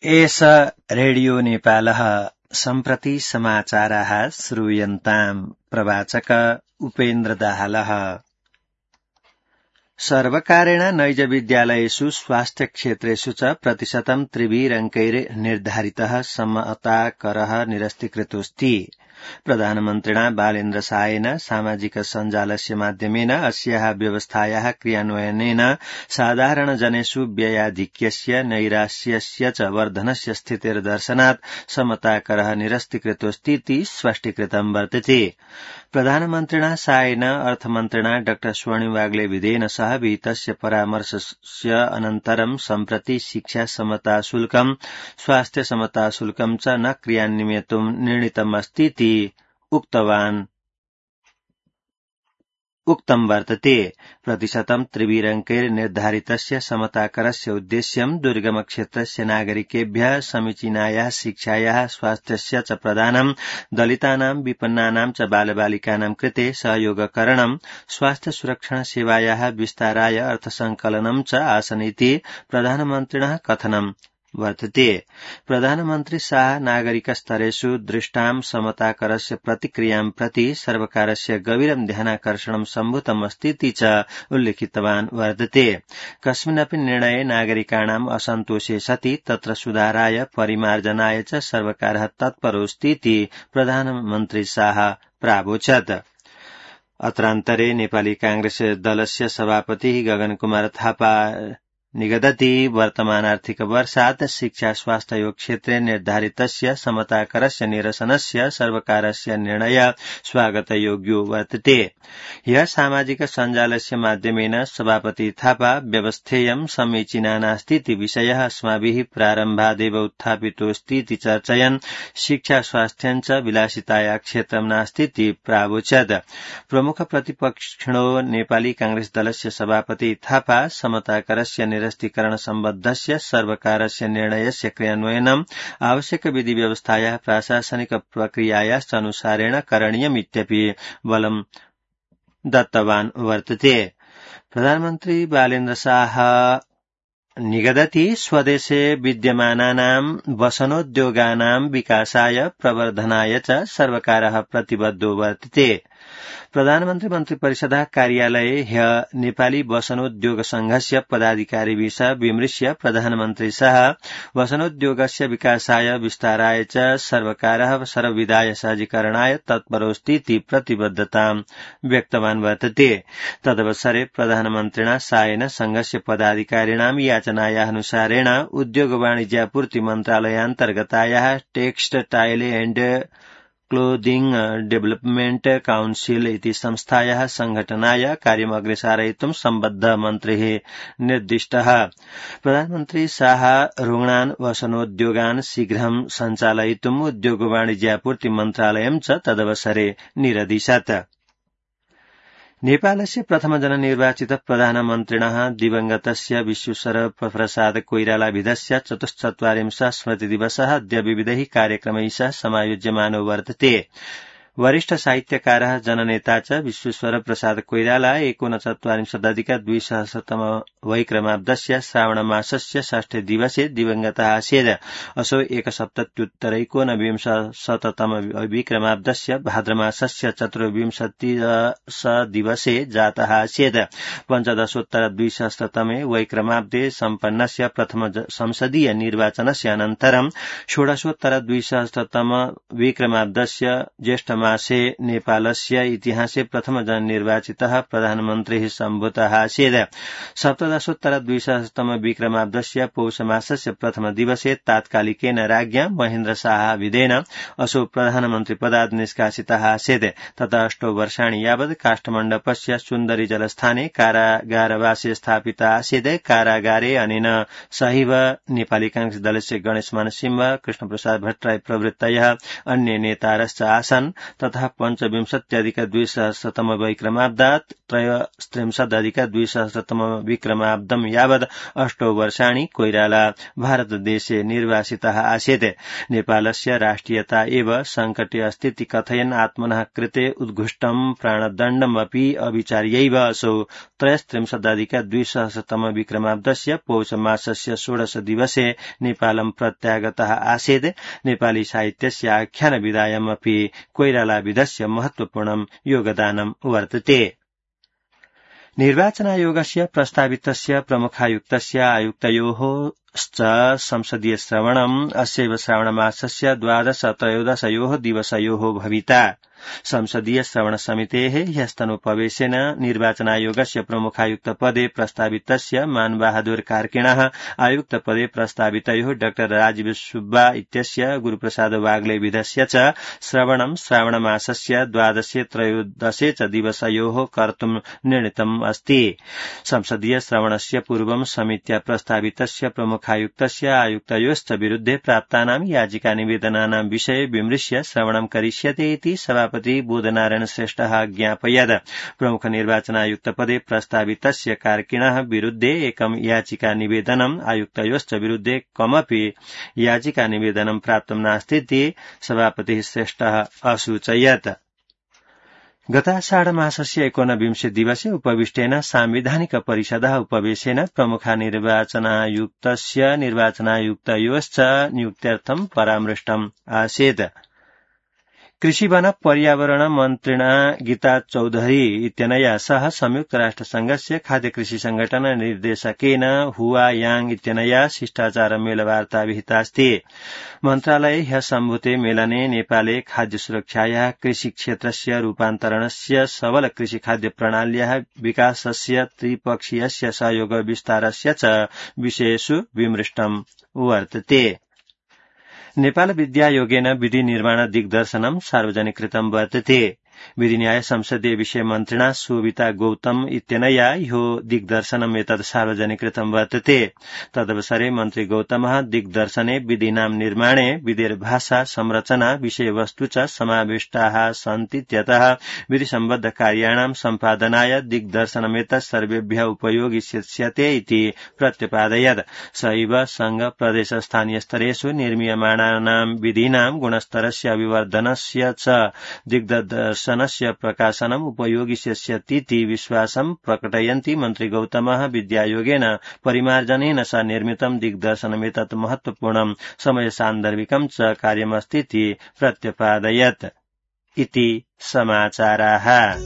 एष रेडियो नेपालः सम्प्रति समाचाराः श्रूयन्ताम् प्रवाचक उपेन्द्र दाहालः। सर्वकारेण नैज विद्यालयेषु स्वास्थ्य क्षेत्रेषु च प्रतिशतं त्रिभिरङ्कैर्निर्धारितः समताकरः निरस्तीकृतोऽस्ति। प्रधानमन्त्रिणा बालेन्द्र शाहेन सामाजिक सञ्जालस्य माध्यमेन अस्याः व्यवस्थायाः क्रियान्वयनेन साधारणजनेषु व्ययाधिक्यस्य नैराश्यस्य च वर्धनस्य स्थितिर्दर्शनात् समताकरः निरस्तीकृतोऽस्तीति स्पष्टीकृतं वर्तते। प्रधानमन्त्रिणा शाहेन अर्थमन्त्रिणा डॉ स्वर्णिम वाग्ले विधेन सह विहितस्य परामर्शस्य अनन्तरं सम्प्रति शिक्षा समता शुल्कं स्वास्थ्य समता शुल्कं च न क्रियान्वयितुं निर्णीतमस्तीति उक्तं वर्तते। प्रतिशतं त्रिभिरङ्कैर्निर्धारितस्य समताकरस्य उद्देश्यं दुर्गमक्षेत्रस्य नागरिकेभ्यः समीचीनायाः शिक्षायाः स्वास्थ्यस्य च प्रदानं दलितानां विपन्नानां च बालबालिकानां कृते सहयोगकरणं स्वास्थ्य सुरक्षण सेवायाः विस्ताराय अर्थसंकलनं च आसनीति प्रधानमन्त्रिणः कथनं वर्तते। प्रधानमन्त्री शाह नागरिकस्तरेषु दृष्टां समताकरस्य प्रतिक्रियां प्रति सर्वकारस्य गभीरं ध्यानाकर्षणं सम्भूतमस्तीति च उल्लिखितवान् वर्तते। कस्मिन्नपि निर्णये नागरिकाणाम् असन्तोषे सति तत्र सुधाराय परिमार्जनाय च सर्वकारः तत्परोऽस्तीति प्रधानमन्त्री शाह प्रावोचत्। अत्रान्तरे नेपाली कांग्रेस दलस्य सभापति गगन कुमार थापा निगदति वर्तमान आर्थिक वर्षात् शिक्षा स्वास्थ्य क्षेत्रे निर्धारितस्य समताकरस्य निरसनस्य सर्वकारस्य निर्णय स्वागतयोग्यो वर्तते। ह्यः सामाजिक सञ्जालस्य माध्यमेन सभापति थापा व्यवस्थेयं समीचीना नास्तीति विषयः अस्माभिः प्रारम्भादेव उत्थापितोऽस्तीति चर्चयन् शिक्षा स्वास्थ्यं च विलासिताया क्षेत्रं नास्तीति प्रावोचत्। प्रमुख प्रतिपक्षिणो नेपाली कांग्रेस दलस्य सभापति थापा समताकरस्य निरस्तीकरण सम्बद्धस्य सर्वकारस्य निर्णयस्य क्रियान्वयनम् आवश्यक विधि व्यवस्थायाः प्रशासनिक प्रक्रियायाश्च अनुसारेण करणीयमित्यपि बलं दत्तवान् वर्तते। प्रधानमन्त्री बालेन्द्र शाह निगदति स्वदेशे विद्यमानानां वसनोद्योगानां विकासाय प्रवर्धनाय च सर्वकारः प्रतिबद्धो वर्तते। प्रधानमन्त्री मन्त्रिपरिषदः कार्यालये ह्यः नेपाली वसनोद्योग संघस्य पदाधिकारिभिः सह विमृश्य प्रधानमन्त्री शाह वसनोद्योगस्य विकासाय विस्ताराय च सर्वकारः सर्वविधाय सहजीकरणाय तत्परोऽस्तीति प्रतिबद्धतां व्यक्तवान् वर्तते। तदवसरे प्रधानमन्त्रिणा शाहेन संघस्य पदाधिकारिणां याचनायाः अनुसारेण उद्योग वाणिज्यापूर्ति मन्त्रालयान्तर्गतायाः Textile and Clothing Development Council इति संस्थायाः संघटनाय कार्यम् अग्रेसारयितुं सम्बद्धः मन्त्रिः निर्दिष्टः। प्रधानमन्त्री शाह रुग्णान् वसनोद्योगान् शीघ्रं सञ्चालयितुम् उद्योग वाणिज्यापूर्ति मन्त्रालयं च तदवसरे निरदिशत्। नेपालस्य प्रथम जननिर्वाचित प्रधानमन्त्रिणः दिवंगतस्य विश्वेश्वर प्रसाद कोइरालाभिधस्य 44वां स्मृतिदिवसः अद्य विविधैः कार्यक्रमैः सह समायोज्यमानो वर्तते। वरिष्ठ साहित्यकारः जननेता च विश्वेश्वर प्रसाद कोइराला 49अधिक-200तम वैक्रमाब्दस्य श्रावणमासस्य षष्ठे दिवसे दिवंगतः आसीत्। असौ 170-एकोनविंशततम विक्रमाब्दस्य भाद्रमासस्य 24 दिवसे जातः आसीत्। 15-200तमे वैक्रमाब्दे सम्पन्नस्य प्रथम संसदीय निर्वाचनस्य अनन्तरं 16-200तम विक्रमाब्दस्य ज्येष्ठमासे नेपालस्य इतिहासे प्रथम जननिर्वाचितः प्रधानमन्त्रिः सम्भूतः आसीत्। 17-200तम विक्रमाब्दस्य पौषमासस्य प्रथम दिवसे तात्कालिकेन राज्ञा महेन्द्र शाह विधेन असौ प्रधानमन्त्रिपदात् निष्कासितः आसीत्। ततः 8 वर्षाणि यावत् काष्ठमण्डपस्य सुन्दरी जलस्थाने कारागारवासे स्थापित आसीत्। कारागारे अनेन सहैव नेपाली कांग्रेस दलस्य गणेशमान सिंह, कृष्णप्रसाद भट्टराई प्रभृतयः अन्ये नेतारश्च आसन्। तथा 25+200 वैक्रमाब्दात् 33+200 विक्रमाब्दं यावत् 8 वर्षाणि कोइराला भारतदेशे निर्वासितः आसीत्। नेपालस्य राष्ट्रियता एव संकटे अस्तीति कथयन् आत्मनः कृते उद्घुष्टं प्राणदण्डमपि अविचार्यैव असौ 33+200 विक्रमाब्दस्य पौष मासस्य 16 दिवसे नेपालं प्रत्यागतः आसीत्। नेपाली साहित्यस्य आख्यानविधायामपि कोइरालाविदस्य महत्वपूर्णं योगदानं वर्तते। निर्वाचनायोगस्य प्रस्तावितस्य प्रमुखायुक्तस्य आयुक्तयोः संसदीय श्रवणम् अस्यैव श्रावणमासस्य 12-13 दिवसयोः भविता। संसदीय श्रवण समितेः ह्यस्तनोपवेशेन निर्वाचनायोगस्य प्रमुखायुक्तपदे प्रस्तावितस्य मानबहादुर कार्किणः आयुक्तपदे प्रस्तावितयोः डाक्टर राजीव सुब्बा इत्यस्य गुरुप्रसाद वाग्ले विधस्य च श्रवणं श्रावणमासस्य 12-13 च दिवसयोः कर्तुं निर्णीतम् अस्ति। संसदीय श्रवणस्य पूर्वं समित्या प्रस्तावितस्य प्रमुखायुक्तस्य आयुक्तयोश्च विरुद्धे प्राप्तानां याचिका निवेदनानां विषये विमृश्य श्रवणं करिष्यते इति सभापति बोधनारायण श्रेष्ठः ज्ञापयत्। प्रमुख निर्वाचनायुक्तपदे प्रस्तावितस्य कार्किणः विरुद्धे एकं याचिका निवेदनम् आयुक्तयोश्च विरुद्धे कमपि याचिका निवेदनं प्राप्तं नास्तीति सभापतिः श्रेष्ठः असूचयत्। गताषाढमासस्य 19 दिवसे उपविष्टेन सांविधानिक परिषदः उपवेशेन प्रमुख निर्वाचनायुक्तस्य निर्वाचनायुक्तयोश्च नियुक्त्यर्थं परामृष्टम् आसीत्। कृषि वन पर्यावरण मन्त्रिणा गीता चौधरी इत्यनया सह संयुक्त राष्ट्र संघस्य खाद्य कृषि संगठन निर्देशकेन हुआ यांग इत्यनया शिष्टाचार मेलवार्ता विहितास्ति। मन्त्रालये ह्यः सम्भूते मेलने नेपाले खाद्य सुरक्षायाः कृषि क्षेत्रस्य रूपान्तरणस्य सबल कृषि खाद्य प्रणाल्याः विकासस्य त्रिपक्षीयस्य सहयोग विस्तारस्य च विषयेषु विमृष्टम् वर्तते। नेपाल विद्यायोगेन विधि निर्माण दिग्दर्शनं सार्वजनिकृतं वर्तते। विधि न्याय संसदीय विषय मन्त्रिणा शोभिता गौतम इत्यनया ह्यो दिग्दर्शनम् एतत् सार्वजनिकृतं वर्तते। तदवसरे मन्त्री गौतमः दिग्दर्शने विधीनां निर्माणे विधिर्भाषा संरचना विषयवस्तु च समाविष्टाः सन्तीत्यतः विधिसम्बद्ध कार्याणां सम्पादनाय दिग्दर्शनमेतत् सर्वेभ्यः उपयोगिष्यते इति प्रत्यपादयत्। सैव संघ प्रदेश स्थानीय स्तरेषु निर्मीयमाणानां विधीनां गुणस्तरस्य अभिवर्धनस्य च दिग्दर्शनस्य प्रकाशनम् उपयोगिष्यतीति विश्वासं प्रकटयन्ति मन्त्री गौतमः विद्यायोगेन परिमार्जनेन स निर्मितं दिग्दर्शनमेतत् महत्वपूर्णं समयसान्दर्भिकं च कार्यमस्तीति प्रत्यपादयत् इति समाचाराः।